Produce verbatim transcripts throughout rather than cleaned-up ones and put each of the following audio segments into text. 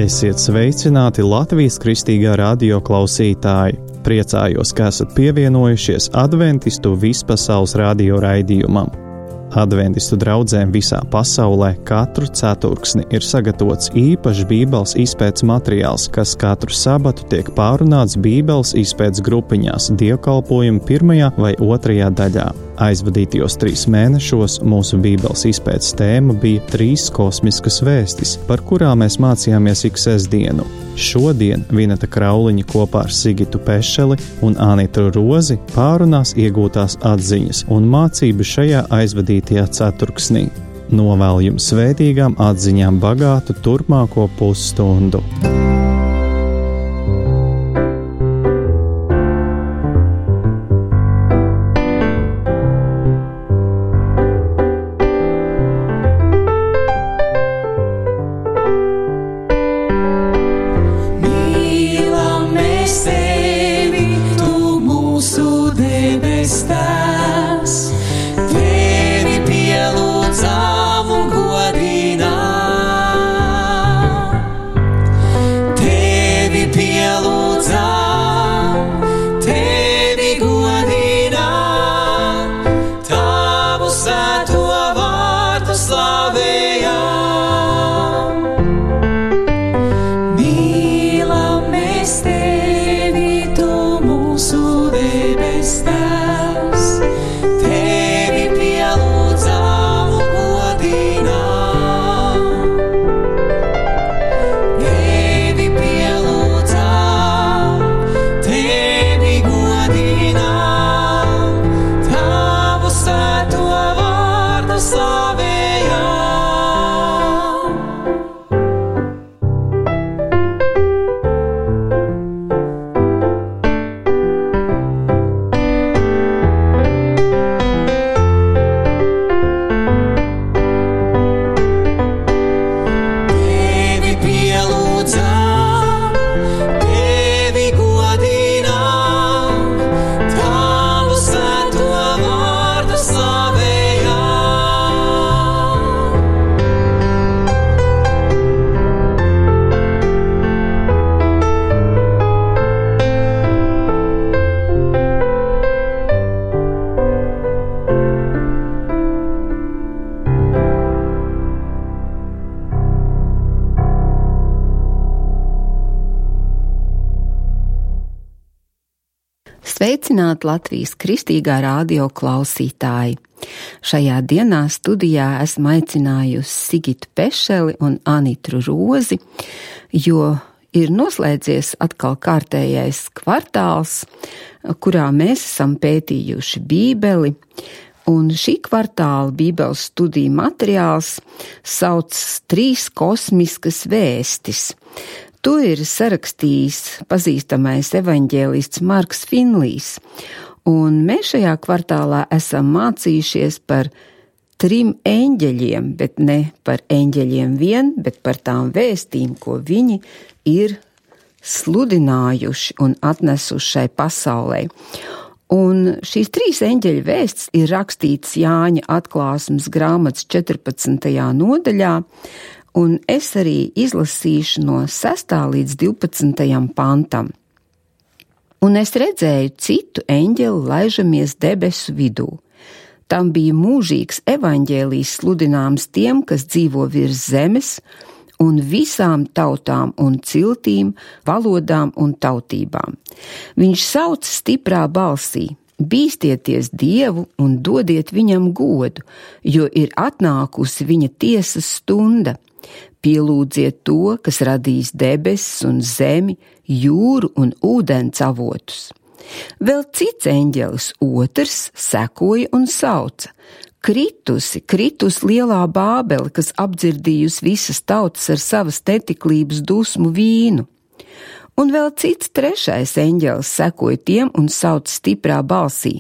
Esiet sveicināti Latvijas Kristīgā radio klausītāji! Priecājos, ka esat pievienojušies Adventistu vispasaules radio raidījumam. Adventistu draudzēm visā pasaulē katru ceturksni ir sagatavots īpašs Bībeles izpētes materiāls, kas katru sabatu tiek pārunāts Bībeles izpētes grupiņās dievkalpojuma pirmajā vai otrajā daļā. Aizvadītajos trīs mēnešos mūsu Bībeles izpētes tēma bija trīs kosmiskas vēstis, par kurām mēs mācījāmies ik sestdienu. Šodien Vineta Krauliņa kopā ar Sigitu Pešeli un Anitu Rozi pārunās iegūtās atziņas un mācību šajā aizvadītajā ceturksnī. Novēlu jums svētīgām atziņām bagātu turpmāko pusstundu. Sveicināti Latvijas Kristīgā radio klausītāji! Šajā dienā studijā esmu aicinājusi Sigitu Pešeli un Anitu Rozi, jo ir noslēdzies atkal kārtējais kvartāls, kurā mēs esam pētījuši Bībeli, un šī kvartāla Bībeles studiju materiāls sauc Trīs kosmiskas vēstis. To ir sarakstījis pazīstamais evaņģēlists Marks Finlijs, un mēs šajā kvartālā esam mācījušies par trim eņģeļiem, bet ne par eņģeļiem vien, bet par tām vēstīm, ko viņi ir sludinājuši un atnesuši šai pasaulē. Un šīs trīs eņģeļu vēsts ir rakstītas Jāņa atklāsmes grāmatas četrpadsmitajā nodaļā, un es arī izlasīšu no sestā līdz divpadsmitajam pantam. Un es redzēju citu eņģeli laižamies debesu vidū. Tam bija mūžīgs evaņģēlijs sludināms tiem, kas dzīvo virs zemes, un visām tautām un ciltīm, valodām un tautībām. Viņš sauc stiprā balsī: bīstieties Dievu un dodiet viņam godu, jo ir atnākusi viņa tiesas stunda. Pielūdziet to, kas radījis debesis un zemi, jūru un ūdens avotus. Vēl cits eņģelis, otrs, sekoja un sauca: kritusi, kritus lielā Bābele, kas apdzirdījusi visas tautas ar savas netiklības dusmu vīnu. Un vēl cits trešais eņģelis sekoja tiem un sauca stiprā balsī: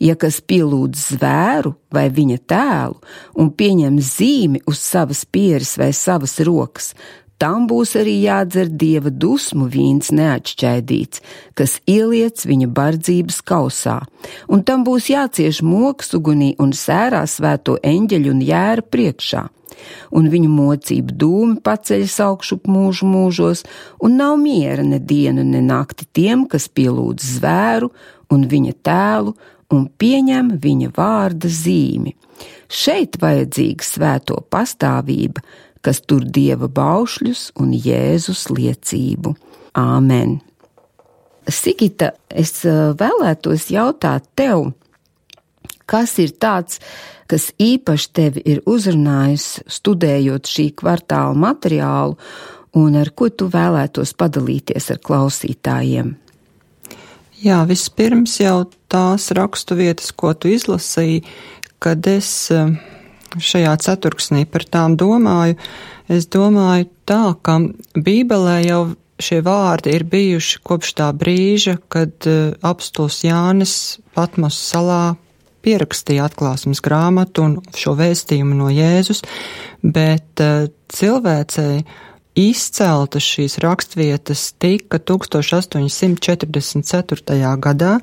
ja kas pielūdz zvēru vai viņa tēlu un pieņem zīmi uz savas pieres vai savas rokas, tam būs arī jādzer Dieva dusmu vīns neatšķaidīts, kas ieliets viņa bardzības kausā, un tam būs jācieš mokas ugunī un sērā svēto eņģeļu un jēra priekšā. Un viņu mocību dūmi paceļas augšup mūžu mūžos, un nav miera ne dienu, ne nakti tiem, kas pielūdz zvēru un viņa tēlu un pieņem viņa vārda zīmi. Šeit vajadzīga svēto pastāvība, kas tur Dieva baušļus un Jēzus liecību. Āmen. Sigita, es vēlētos jautāt tev, kas ir tāds, kas īpaši tevi ir uzrunājis, studējot šī kvartāla materiālu, un ar ko tu vēlētos padalīties ar klausītājiem? Jā, vispirms jau tās raksturvietas, ko tu izlasīji, kad es šajā ceturksnī par tām domāju, es domāju tā, ka Bībelē jau šie vārdi ir bijuši kopš tā brīža, kad apostols Jānis Patmos salā pierakstīja atklāsmes grāmatu un šo vēstījumu no Jēzus, bet cilvēcei izceltas šīs rakstvietas tika tūkstoš astoņi simti četrdesmit ceturtajā gadā,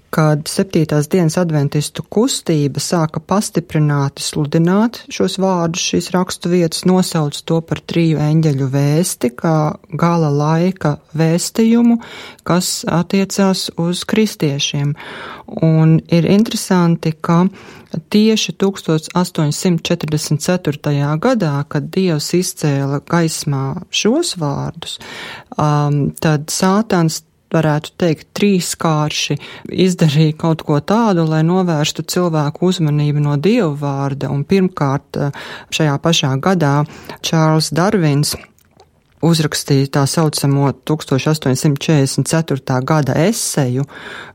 kad septītās dienas adventistu kustība sāka pastiprināti sludināt šos vārdus, šīs rakstu vietas, nosauc to par triju eņģeļu vēsti, kā gala laika vēstījumu, kas attiecās uz kristiešiem. Un ir interesanti, ka tieši tūkstoš astoņi simti četrdesmit ceturtajā gadā, kad Dievs izcēla gaismā šos vārdus, um, tad Sātans, varētu teikt, trīskārši izdarīja kaut ko tādu, lai novērstu cilvēku uzmanību no Dieva vārda. Un pirmkārt, šajā pašā gadā Čārls Darvins uzrakstīja tā saucamo tūkstoš astoņi simti četrdesmit ceturtā gada eseju,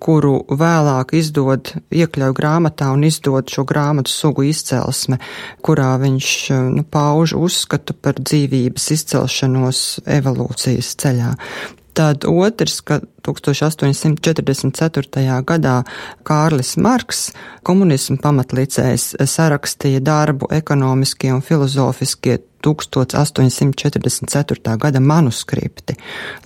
kuru vēlāk izdod, iekļauj grāmatā un izdod šo grāmatu sugu izcelsme, kurā viņš nu, pauž uzskatu par dzīvības izcelšanos evolūcijas ceļā. Tad otrs, ka tūkstoš astoņi simti četrdesmit ceturtajā gadā Kārlis Marks, komunismu pamatlicējs, sarakstīja darbu ekonomiskie un filozofiskie tūkstoš astoņi simti četrdesmit ceturtā gada manuskripti,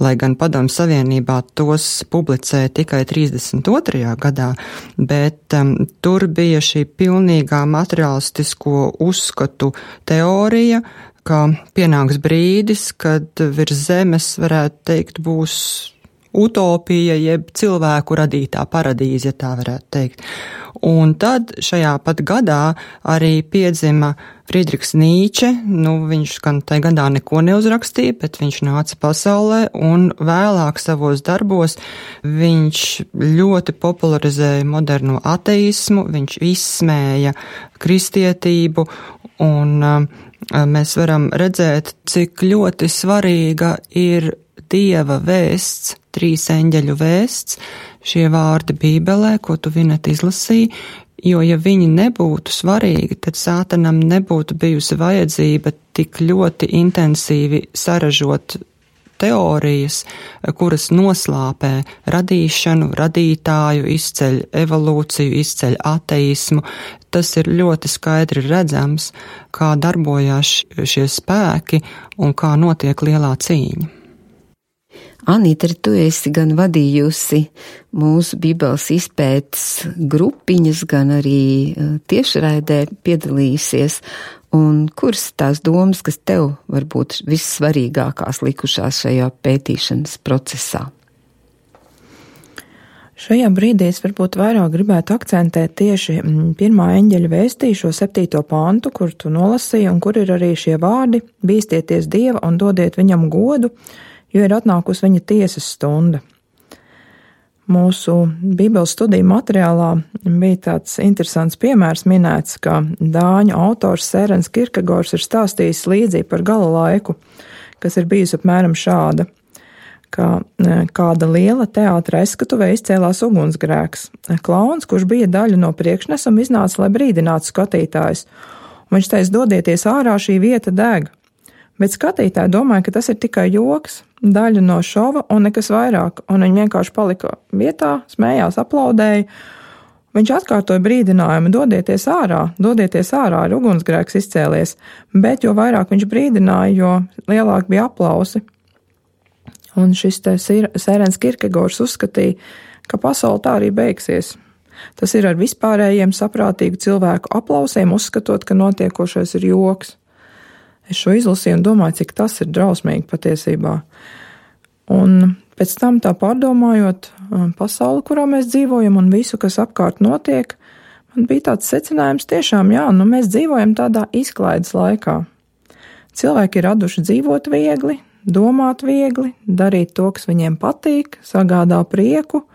lai gan Padomju Savienībā tos publicēja tikai trīsdesmit otrajā gadā, bet um, tur bija šī pilnīgā materiālistisko uzskatu teorija, ka pienāks brīdis, kad virs zemes, varētu teikt, būs utopija, jeb cilvēku radītā paradīze, ja tā varētu teikt. Un tad šajā pat gadā arī piedzima Friedrichs Nīče, nu viņš gan tajā gadā neko neuzrakstīja, bet viņš nāca pasaulē un vēlāk savos darbos viņš ļoti popularizēja moderno ateismu, viņš izsmēja kristietību un uh, mēs varam redzēt, cik ļoti svarīga ir Dieva vēsts, trīs eņģeļu vēsts, šie vārdi Bībelē, ko tu Vineta izlasīji, jo ja viņi nebūtu svarīgi, tad Sātanam nebūtu bijusi vajadzība tik ļoti intensīvi saražot teorijas, kuras noslāpē radīšanu, radītāju, izceļ evolūciju, izceļ ateismu. Tas ir ļoti skaidri redzams, kā darbojās šie spēki un kā notiek lielā cīņa. Anita, tu esi gan vadījusi mūsu Bībeles izpētes grupiņas, gan arī tiešraidē piedalījusies. Un kuras tās domas, kas tev varbūt vissvarīgākās likušās šajā pētīšanas procesā? Šajā brīdī es varbūt vairāk gribētu akcentēt tieši pirmā eņģeļa vēstī, šo septīto pantu, kur tu nolasīji, un kur ir arī šie vārdi: bīstieties Dieva un dodiet viņam godu, jo ir atnākusi viņa tiesas stunda. Mūsu Bībeles studiju materiālā bija tāds interesants piemērs minēts, ka dāņu autors Sērens Kierkegors ir stāstījis līdzību par gala laiku, kas ir bijusi apmēram šāda, ka kāda liela teātra aizskatuvē izcēlās ugunsgrēks. Klauns, kurš bija daļa no priekšnesuma, iznāca, lai brīdinātu skatītājus, un viņš teica: dodieties ārā, šī vieta deg. Bet skatītāji domāja, ka tas ir tikai joks, daļa no šova un nekas vairāk, un viņi vienkārši palika vietā, smējās, aplaudēja, Viņš atkārtoja brīdinājumu: dodieties ārā, dodieties ārā, ir ugunsgrēks izcēlies, bet jo vairāk viņš brīdināja, jo lielāk bija aplausi. Un šis te Sērens Kierkegaards uzskatīja, ka pasaule tā arī beigsies. Tas ir ar vispārējiem saprātīgu cilvēku aplausiem, uzskatot, ka notiekošais ir joks. Es šo izlasīju un domāju, cik tas ir drausmīgi patiesībā. Un pēc tam tā pārdomājot pasauli, kurā mēs dzīvojam un visu, kas apkārt notiek, man bija tāds secinājums: tiešām jā, nu mēs dzīvojam tādā izklaides laikā. Cilvēki ir raduši dzīvot viegli, domāt viegli, darīt to, kas viņiem patīk, sagādā prieku,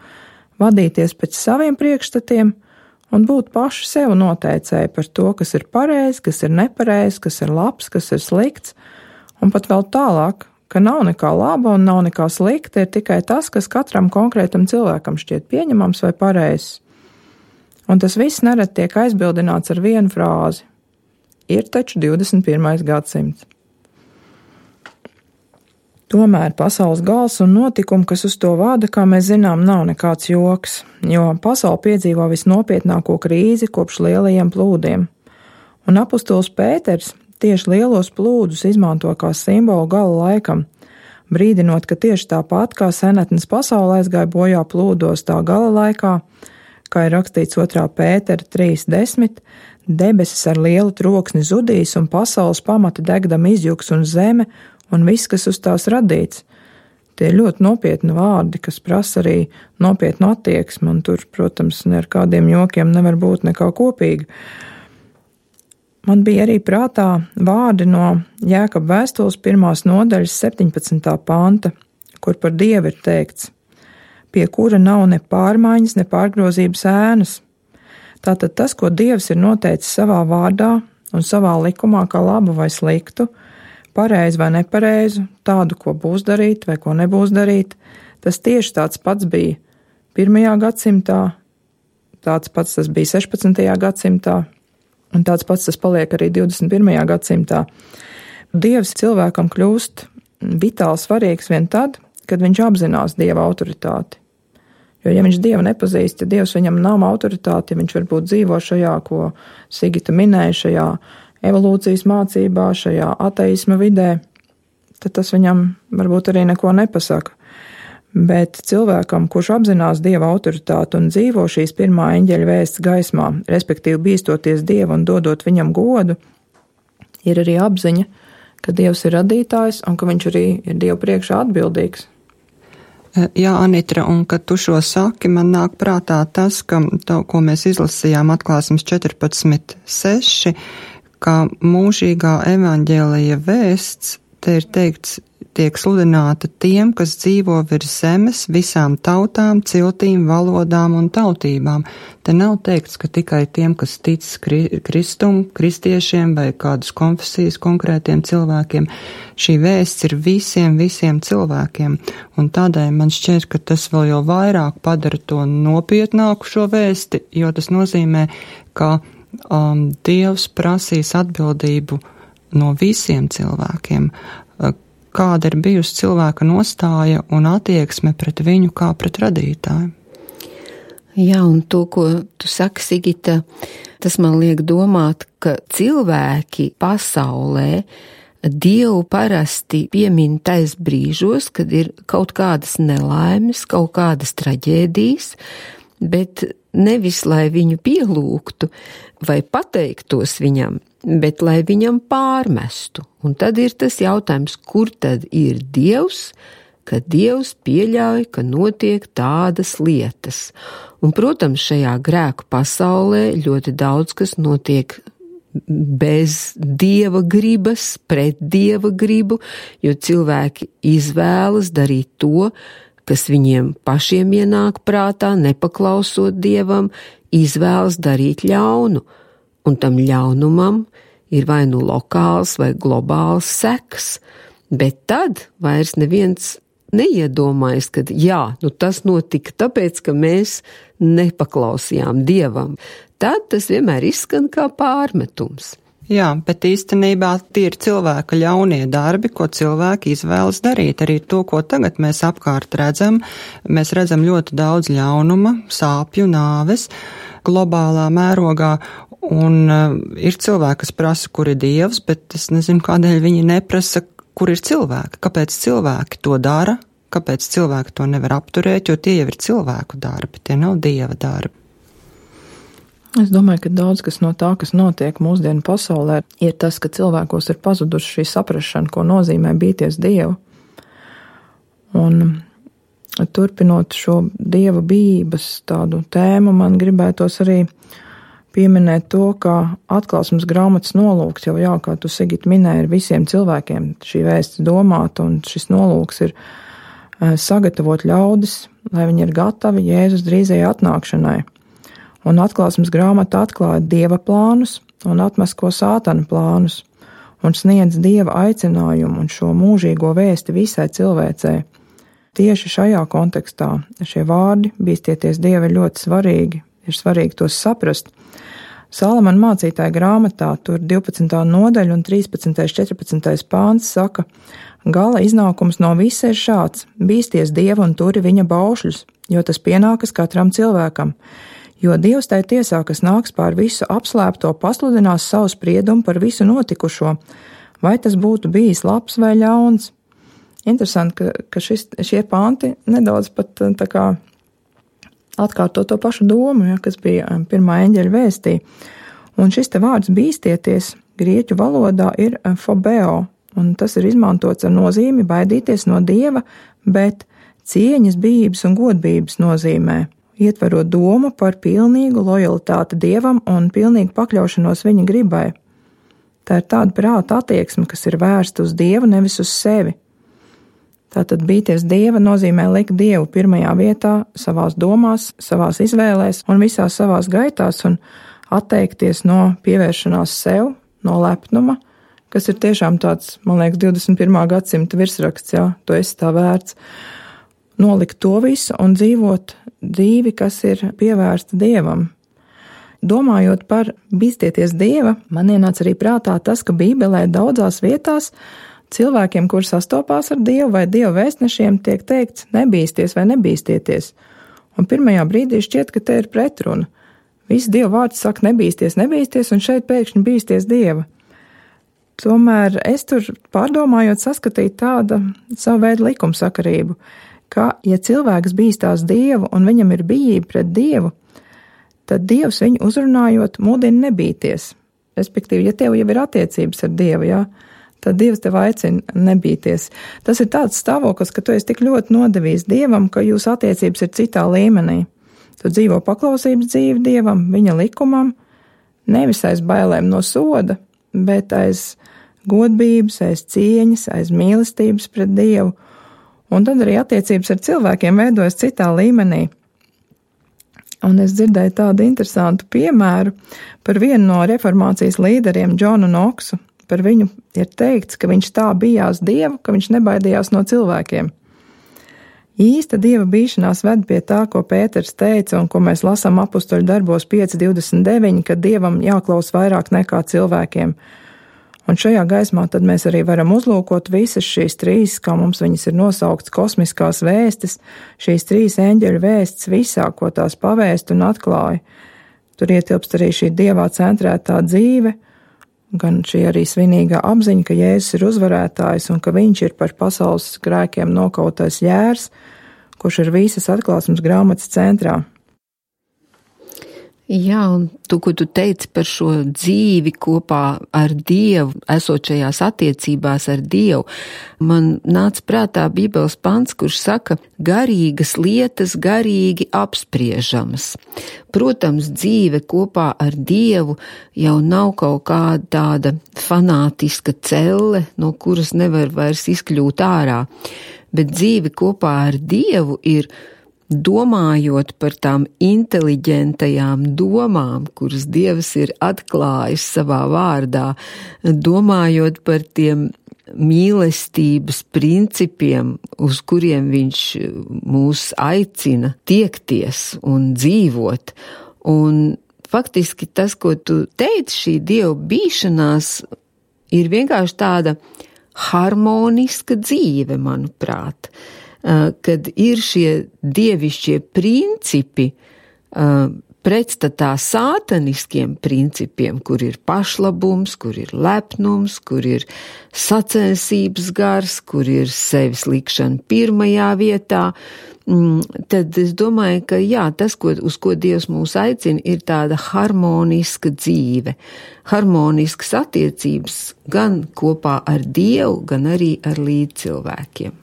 vadīties pēc saviem priekšstatiem un būt paši sev noteicēji par to, kas ir pareizi, kas ir nepareizi, kas ir labs, kas ir slikts, un pat vēl tālāk, ka nav nekā laba un nav nekā slikta, ir tikai tas, kas katram konkrētam cilvēkam šķiet pieņemams vai pareizs. Un tas viss nerad tiek aizbildināts ar vienu frāzi: ir taču divdesmit pirmais gadsimts. Tomēr pasaules gals un notikumi, kas uz to vada, kā mēs zinām, nav nekāds joks, jo pasaule piedzīvo visnopietnāko krīzi kopš lielajiem plūdiem. Un apustulis Pēters tieši lielos plūdus izmanto kā simbolu gala laikam, brīdinot, ka tieši tāpat kā senatnes pasaule aizgāja bojā plūdos tā gala laikā, kā ir rakstīts otrā Pētera trīs desmit, debesis ar lielu troksni zudīs un pasaules pamati degdam izjuks un zeme un viss, kas uz tās radīts. Tie ir ļoti nopietni vārdi, kas prasa arī nopietnu attieksmi, un tur, protams, ne ar kādiem jokiem nevar būt nekā kopīga. Man bija arī prātā vārdi no Jēkaba vēstules pirmās nodaļas septiņpadsmitā panta, kur par Dievu ir teikts: pie kura nav ne pārmaiņas, ne pārgrozības ēnas. Tātad tas, ko Dievs ir noteicis savā vārdā un savā likumā kā labu vai sliktu, pareizi vai nepareizu, tādu, ko būs darīt vai ko nebūs darīt, tas tieši tāds pats bija pirmajā gadsimtā, tāds pats tas bija sešpadsmitajā gadsimtā, un tāds pats tas paliek arī divdesmit pirmajā gadsimtā. Dievs cilvēkam kļūst vitāli svarīgs vien tad, kad viņš apzinās Dieva autoritāti. Jo, ja viņš Dievu nepazīst, ja Dievs viņam nav autoritāti, ja viņš varbūt dzīvo šajā, ko Sigita minēja, šajā evolūcijas mācībā, šajā ateisma vidē, tad tas viņam varbūt arī neko nepasaka. Bet cilvēkam, kurš apzinās Dieva autoritāti un dzīvo šīs pirmā eņģeļa vēsts gaismā, respektīvi bīstoties Dievu un dodot viņam godu, ir arī apziņa, ka Dievs ir radītājs un ka viņš arī ir Dievu priekšā atbildīgs. Jā, Anitra, un kad tu šo saki, man nāk prātā tas, ka to, ko mēs izlasījām atklāsmes četrpadsmit seši, ka mūžīgā evaņģēlija vēsts, te ir teikts, tiek sludināta tiem, kas dzīvo virs zemes, visām tautām, ciltīm, valodām un tautībām. Te nav teikts, ka tikai tiem, kas tic Kristum, kristiešiem vai kādas konfesijas konkrētiem cilvēkiem. Šī vēsts ir visiem, visiem cilvēkiem, un tādēļ man šķiet, ka tas vēl jau vairāk padara to nopietnāku šo vēsti, jo tas nozīmē, ka um, Dievs prasīs atbildību no visiem cilvēkiem. Kāda ir bijusi cilvēka nostāja un attieksme pret viņu kā pret radītāju? Jā, un to, ko tu saki, Sigita, tas man liek domāt, ka cilvēki pasaulē Dievu parasti piemin tais brīžos, kad ir kaut kādas nelaimes, kaut kādas traģēdijas, bet nevis, lai viņu pielūgtu vai pateiktos viņam, bet lai viņam pārmestu. Un tad ir tas jautājums, kur tad ir Dievs, ka Dievs pieļauj, ka notiek tādas lietas. Un, protams, šajā grēku pasaulē ļoti daudz kas notiek bez Dieva gribas, pret Dieva gribu, jo cilvēki izvēlas darīt to, kas viņiem pašiem ienāk prātā, nepaklausot Dievam, izvēlas darīt ļaunu. Un tam ļaunumam ir vai nu lokāls vai globāls seks, bet tad vairs neviens neiedomājas, ka jā, nu tas notika tāpēc, ka mēs nepaklausījām Dievam. Tad tas vienmēr izskan kā pārmetums. Jā, bet īstenībā tie ir cilvēka ļaunie darbi, ko cilvēki izvēlas darīt. Arī to, ko tagad mēs apkārt redzam, mēs redzam ļoti daudz ļaunuma, sāpju, nāves globālā mērogā, un uh, ir cilvēki, kas prasa, kur ir Dievs, bet es nezinu, kādēļ viņi neprasa, kur ir cilvēki, kāpēc cilvēki to dara, kāpēc cilvēki to nevar apturēt, jo tie jau ir cilvēku darbi, tie nav Dieva darbi. Es domāju, ka daudz kas no tā, kas notiek mūsdienu pasaulē, ir tas, ka cilvēkos ir pazuduši šī saprašana, ko nozīmē bīties Dievu. Un turpinot šo Dieva bijības tādu tēmu, man gribētos arī pieminēt to, ka atklāsmes grāmatas nolūks jau jā, kā tu, Sigita, minēji, ir visiem cilvēkiem šī vēsts domāt, un šis nolūks ir sagatavot ļaudis, lai viņi ir gatavi Jēzus drīzajai atnākšanai. Un atklāsmes grāmata atklāja Dieva plānus un atmasko Sātana plānus un sniedz Dieva aicinājumu un šo mūžīgo vēsti visai cilvēcei. Tieši šajā kontekstā šie vārdi bīstieties Dievu ir ļoti svarīgi, ir svarīgi tos saprast. Salamana mācītāja grāmatā tur divpadsmitā nodaļa un trīspadsmitais četrpadsmitais pāns saka: gala iznākums no visa ir šāds: bīsties Dieva un turi viņa baušļus, jo tas pienākas katram cilvēkam. Jo Dievs tai tiesā, kas nāks pār visu apslēpto, pasludinās savu spriedumu par visu notikušo, vai tas būtu bijis labs vai ļauns. Interesanti, ka, ka šis, šie panti nedaudz pat tā kā atkārto to pašu domu, ja, kas bija pirmā eņģeļa vēstī. Un šis te vārds bīstieties grieķu valodā ir phobeo, un tas ir izmantots ar nozīmi baidīties no Dieva, bet cieņas, bijības un godbības nozīmē, ietverot domu par pilnīgu lojalitāti Dievam un pilnīgu pakļaušanos viņa gribai. Tā ir tāda prāta attieksme, kas ir vērsta uz Dievu, nevis uz sevi. Tātad bīties Dieva nozīmē likt Dievu pirmajā vietā, savās domās, savās izvēlēs un visās savās gaitās un atteikties no pievēršanās sev, no lepnuma, kas ir tiešām tāds, man liekas, divdesmit pirmā gadsimta virsraksts, jā, tu esi tā vērts. Nolikt to visu un dzīvot dzīvi, kas ir pievērsta Dievam. Domājot par bīstieties Dieva, man ienāca arī prātā tas, ka Bībelē daudzās vietās cilvēkiem, kur sastopās ar Dievu vai Dieva vēstnešiem, tiek teikts nebīsties vai nebīstieties. Un pirmajā brīdī šķiet, ka te ir pretruna. Visi Dieva vārds saka nebīsties, nebīsties, un šeit pēkšņi bīsties Dieva. Tomēr es tur pārdomājot saskatīju tādu savu veidu likumsakarību, ka, ja cilvēks bīstās Dievu un viņam ir bijība pret Dievu, tad Dievs viņu uzrunājot mudina nebīties. Respektīvi, ja tev jau ir attiecības ar Dievu, jā, tad Dievs tev aicina nebīties. Tas ir tāds stāvoklis, ka tu esi tik ļoti nodevījis Dievam, ka jūsu attiecības ir citā līmenī. Tu dzīvo paklausības dzīvi Dievam, viņa likumam, nevis aiz bailēm no soda, bet aiz godbības, aiz cieņas, aiz mīlestības pret Dievu. Un tad arī attiecības ar cilvēkiem veidojas citā līmenī. Un es dzirdēju tādu interesantu piemēru par vienu no reformācijas līderiem, Džonu Noksu. Par viņu ir teikts, ka viņš tā bijās Dievu, ka viņš nebaidījās no cilvēkiem. Īsta Dieva bīšanās ved pie tā, ko Pēters teica un ko mēs lasām apustuļu darbos pieci divdesmit deviņi, ka Dievam jāklaus vairāk nekā cilvēkiem. Un šajā gaismā tad mēs arī varam uzlūkot visas šīs trīs, kā mums viņas ir nosauktas, kosmiskās vēstis, šīs trīs eņģeļu vēstis visā, ko tās pavēst un atklāja. Tur ietilpst arī šī Dievā centrētā dzīve, gan šī arī svinīgā apziņa, ka Jēzus ir uzvarētājs un ka viņš ir par pasaules grēkiem nokautais jērs, kurš ir visas atklāsmes grāmatas centrā. Jā, un tu, ko tu teici par šo dzīvi kopā ar Dievu, esot šajās attiecībās ar Dievu, man nāca prātā Bībeles pants, kurš saka, garīgas lietas garīgi apspriežamas. Protams, dzīve kopā ar Dievu jau nav kaut kāda tāda fanātiska celle, no kuras nevar vairs izkļūt ārā, bet dzīve kopā ar Dievu ir domājot par tām inteliģentajām domām, kuras Dievs ir atklājis savā vārdā, domājot par tiem mīlestības principiem, uz kuriem viņš mūs aicina tiekties un dzīvot. Un faktiski tas, ko tu teici, šī Dieva bīšanās ir vienkārši tāda harmoniska dzīve, manuprāt, kad ir šie dievišķie principi pretstatā sātaniskiem principiem, kur ir pašlabums, kur ir lepnums, kur ir sacensības gars, kur ir sevis likšana pirmajā vietā, tad es domāju, ka jā, tas, ko, uz ko Dievs mūs aicina, ir tāda harmoniska dzīve, harmoniskas attiecības gan kopā ar Dievu, gan arī ar līdzcilvēkiem.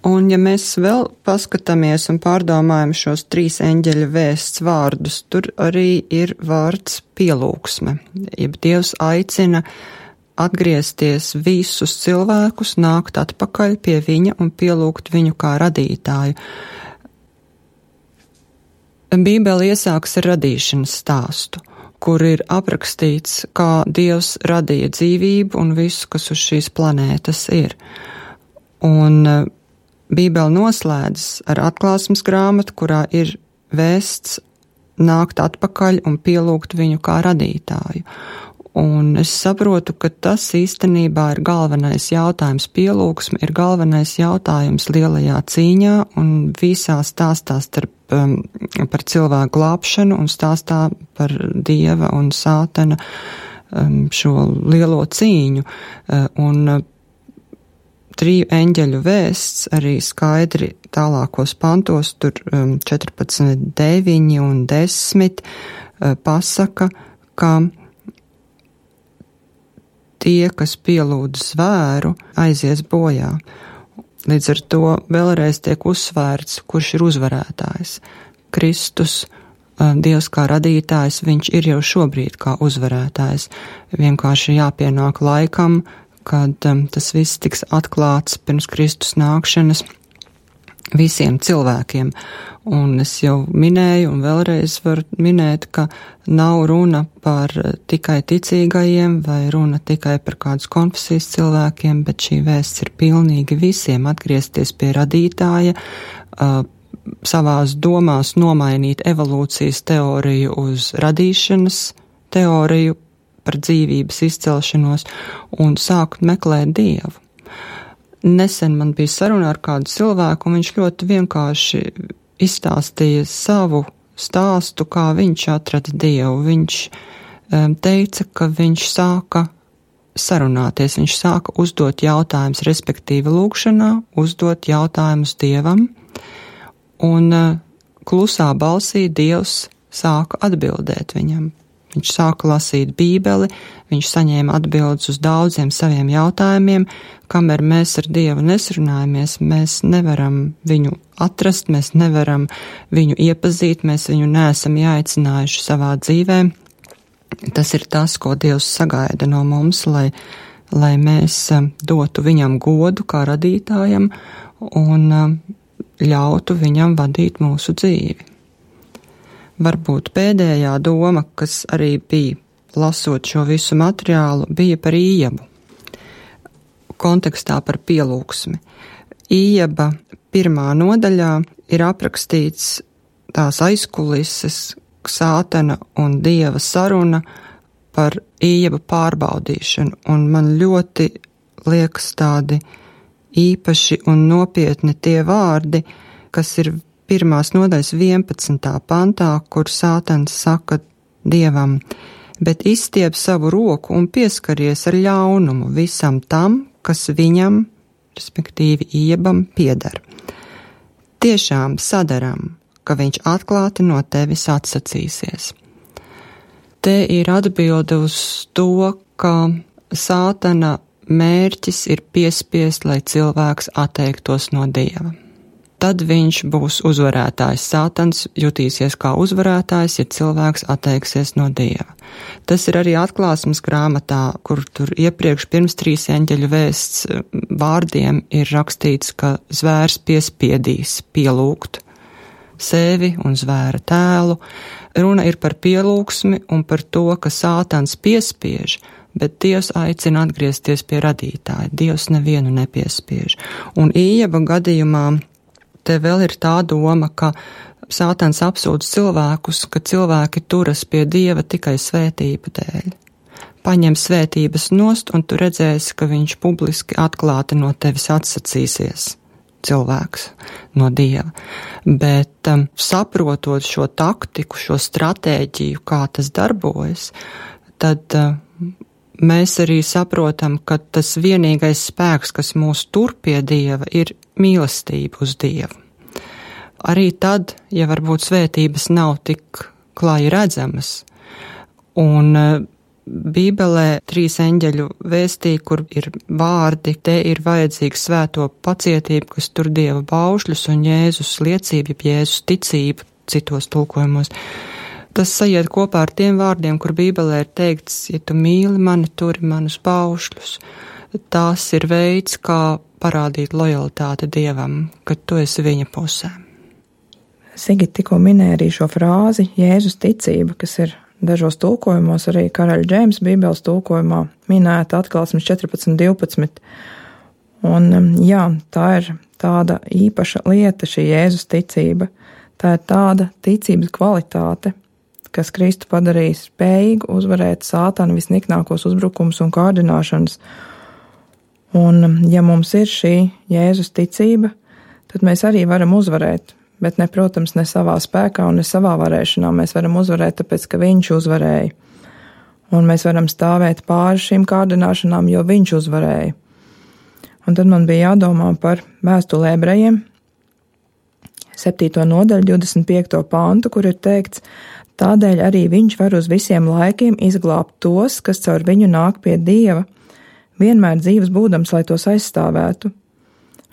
Un ja mēs vēl paskatāmies un pārdomājam šos trīs eņģeļa vēsts vārdus, tur arī ir vārds pielūgsme. Jeb Dievs aicina atgriezties visus cilvēkus, nākt atpakaļ pie viņa un pielūgt viņu kā radītāju. Bībele iesāks ar radīšanas stāstu, kur ir aprakstīts, kā Dievs radīja dzīvību un visu, kas uz šīs planētas ir. Un Bībele noslēdzas ar atklāsmes grāmatu, kurā ir vēsts nākt atpakaļ un pielūgt viņu kā radītāju. Un es saprotu, ka tas īstenībā ir galvenais jautājums. Pielūgsme ir galvenais jautājums lielajā cīņā un visā stāstā starp, um, par cilvēku glābšanu un stāstā par Dieva un Sātana um, šo lielo cīņu. Uh, un uh, triju eņģeļu vēsts arī skaidri tālākos pantos, tur um, četrpadsmit, deviņi un desmit uh, pasaka, ka tie, kas pielūdz zvēru, aizies bojā. Līdz ar to vēlreiz tiek uzsvērts, kurš ir uzvarētājs. Kristus, Dievs kā radītājs, viņš ir jau šobrīd kā uzvarētājs. Vienkārši jāpienāk laikam, kad um, tas viss tiks atklāts pirms Kristus nākšanas visiem cilvēkiem. Un es jau minēju un vēlreiz varu minēt, ka nav runa par tikai ticīgajiem vai runa tikai par kādas konfesijas cilvēkiem, bet šī vēsts ir pilnīgi visiem atgriezties pie radītāja, uh, savās domās nomainīt evolūcijas teoriju uz radīšanas teoriju par dzīvības izcelšanos un sākt meklēt Dievu. Nesen man bija saruna ar kādu cilvēku, un viņš ļoti vienkārši izstāstīja savu stāstu, kā viņš atrada Dievu. Viņš um, teica, ka viņš sāka sarunāties, viņš sāka uzdot jautājumus, respektīvi lūgšanā, uzdot jautājumus Dievam, un uh, klusā balsī Dievs sāka atbildēt viņam. Viņš sāka lasīt Bībeli, viņš saņēma atbildes uz daudziem saviem jautājumiem, kamēr mēs ar Dievu nesrunājamies, mēs nevaram viņu atrast, mēs nevaram viņu iepazīt, mēs viņu neesam jāicinājuši savā dzīvē. Tas ir tas, ko Dievs sagaida no mums, lai, lai mēs dotu viņam godu kā radītājam un ļautu viņam vadīt mūsu dzīvi. Varbūt pēdējā doma, kas arī bija, lasot šo visu materiālu, bija par Ījabu, kontekstā par pielūgsmi. Ījaba pirmā nodaļā ir aprakstīts tās aizkulises, Sātana un Dieva saruna par Ījaba pārbaudīšanu, un man ļoti liekas tādi īpaši un nopietni tie vārdi, kas ir pirmās nodaļas vienpadsmitā pantā, kur Sātans saka Dievam, bet izstiep savu roku un pieskaries ar ļaunumu visam tam, kas viņam, respektīvi Ījabam, pieder. Tiešām sadaram, ka viņš atklāti no tevis atsacīsies. Te ir atbilde uz to, ka Sātana mērķis ir piespiest, lai cilvēks atteiktos no Dieva. Tad viņš būs uzvarētājs. Sātans jutīsies kā uzvarētājs, ja cilvēks atteiksies no Dieva. Tas ir arī atklāsmes grāmatā, kur tur iepriekš pirms trīs eņģeļu vēsts vārdiem ir rakstīts, ka zvērs piespiedīs pielūgt sevi un zvēra tēlu. Runa ir par pielūgsmi un par to, ka Sātans piespiež, bet Dievs aicina atgriezties pie radītāja. Dievs nevienu nepiespiež. Un Ījaba gadījumā te vēl ir tā doma, ka Sātans apsūdz cilvēkus, ka cilvēki turas pie Dieva tikai svētību dēļ. Paņem svētības nost, un tu redzēsi, ka viņš publiski atklāti no tevis atsacīsies. Cilvēks no Dieva. Bet um, saprotot šo taktiku, šo stratēģiju, kā tas darbojas, tad uh, mēs arī saprotam, ka tas vienīgais spēks, kas mūs tur pie Dieva, ir mīlestība uz Dievu. Arī tad, ja varbūt svētības nav tik klāji redzamas, un uh, Bībelē trīs eņģeļu vēstī, kur ir vārdi, te ir vajadzīga svēto pacietība, kas tur Dieva baušļus un Jēzus liecība, Jēzus ticība citos tulkojumos. Tas sajiet kopā ar tiem vārdiem, kur Bībelē ir teikts, ja tu mīli mani, turi manus baušļus. Tās ir veids, kā parādīt lojalitāti Dievam, ka tu esi viņa pusē. Sigita tikko minēja arī šo frāzi Jēzus ticība, kas ir dažos tulkojumos, arī Karaļa Džeimsa Bībeles tulkojumā minēta Atklāsmes četrpadsmit divpadsmit. Un jā, tā ir tāda īpaša lieta, šī Jēzus ticība. Tā ir tāda ticības kvalitāte, kas Kristu padarīs spējīgu uzvarēt Sātana visniknākos uzbrukums un kārdināšanas. Un ja mums ir šī Jēzus ticība, tad mēs arī varam uzvarēt. Bet ne, protams, ne savā spēkā un ne savā varēšanā. Mēs varam uzvarēt, tāpēc, ka viņš uzvarēja. Un mēs varam stāvēt pāri šīm kārdināšanām, jo viņš uzvarēja. Un tad man bija jādomā par vēstuli ebrejiem, septīto nodaļu, divdesmit piekto pantu, kur ir teikts, tādēļ arī viņš var uz visiem laikiem izglābt tos, kas caur viņu nāk pie Dieva, vienmēr dzīves būdams, lai tos aizstāvētu.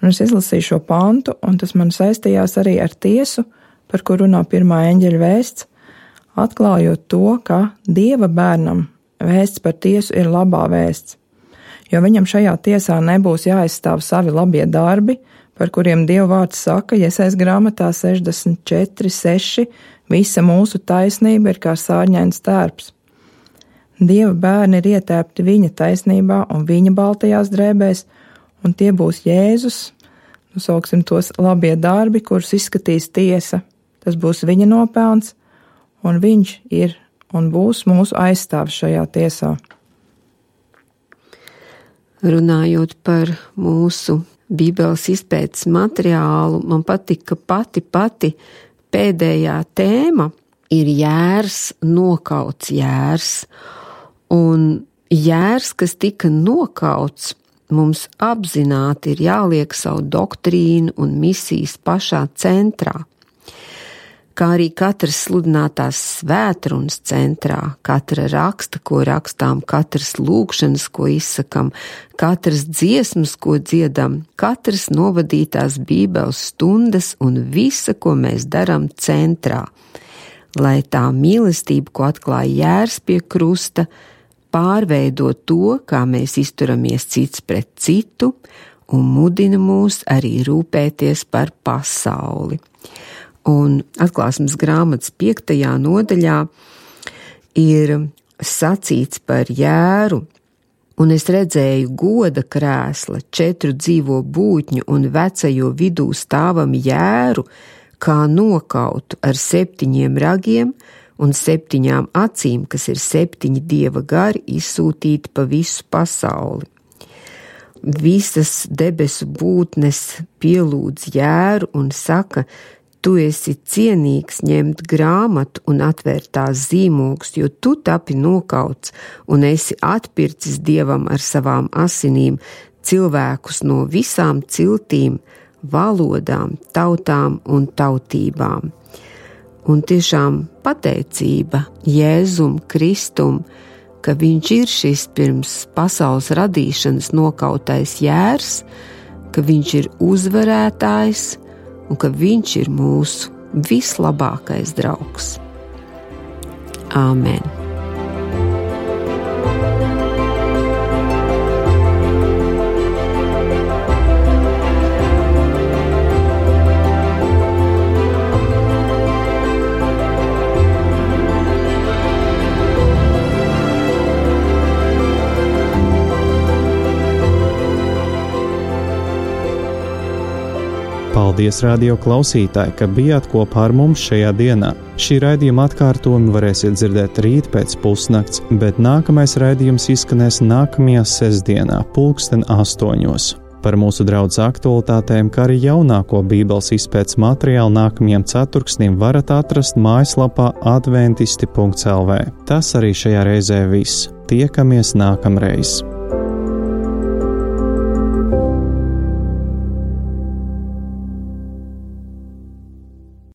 Un es izlasīju šo pantu, un tas man saistījās arī ar tiesu, par kur runā pirmā eņģeļa vēsts, atklājot to, ka Dieva bērnam vēsts par tiesu ir labā vēsts, jo viņam šajā tiesā nebūs jāaizstāv savi labie darbi, par kuriem Dieva vārds saka, Jesajas grāmatā sešdesmit četri seši, visa mūsu taisnība ir kā sārņains tērps. Dieva bērni ir ietēpti viņa taisnībā un viņa baltajās drēbēs, un tie būs Jēzus, nu sauksim tos labie darbi, kurus izskatīs tiesa. Tas būs viņa nopelns, un viņš ir un būs mūsu aizstāvs šajā tiesā. Runājot par mūsu Bībeles izpētes materiālu, man patika pati pati pēdējā tēma ir jērs, nokauts jērs, un jērs, kas tika nokauts, mums apzināti ir jāliek savu doktrīnu un misijas pašā centrā, kā arī katras sludinātās svētrunas centrā, katra raksta, ko rakstām, katras lūgšanas, ko izsakam, katras dziesmas, ko dziedam, katras novadītās Bībeles stundas un visa, ko mēs daram centrā, lai tā mīlestība, ko atklāja jērs pie krusta, pārveidot to, kā mēs izturamies cits pret citu un mudina mūs arī rūpēties par pasauli. Un Atklāsmes grāmatas piektajā nodaļā ir sacīts par jēru, un es redzēju goda krēsla, četru dzīvo būtņu un vecajo vidū stāvam jēru, kā nokautu ar septiņiem ragiem, un septiņām acīm, kas ir septiņi Dieva gari, izsūtīti pa visu pasauli. Visas debesu būtnes pielūdz jēru un saka, tu esi cienīgs ņemt grāmatu un atvērt tās zīmogus, jo tu tapi nokauts un esi atpircis Dievam ar savām asinīm cilvēkus no visām ciltīm, valodām, tautām un tautībām. Un tiešām pateicība Jēzum Kristum, ka viņš ir šis pirms pasaules radīšanas nokautais jērs, ka viņš ir uzvarētājs un ka viņš ir mūsu vislabākais draugs. Āmen! Paldies, radio klausītāji, ka bijāt kopā ar mums šajā dienā. Šī raidījuma atkārtojumu varēsiet dzirdēt rīt pēc pusnakts, bet nākamais raidījums izskanēs nākamajā sestdienā, pulksten astoņos. Par mūsu draudzes aktualitātēm, kā arī jaunāko Bībeles izpētes materiālu nākamajam ceturksnim varat atrast mājaslapā adventisti punkts el vē. Tas arī šajā reizē viss. Tiekamies nākamreiz!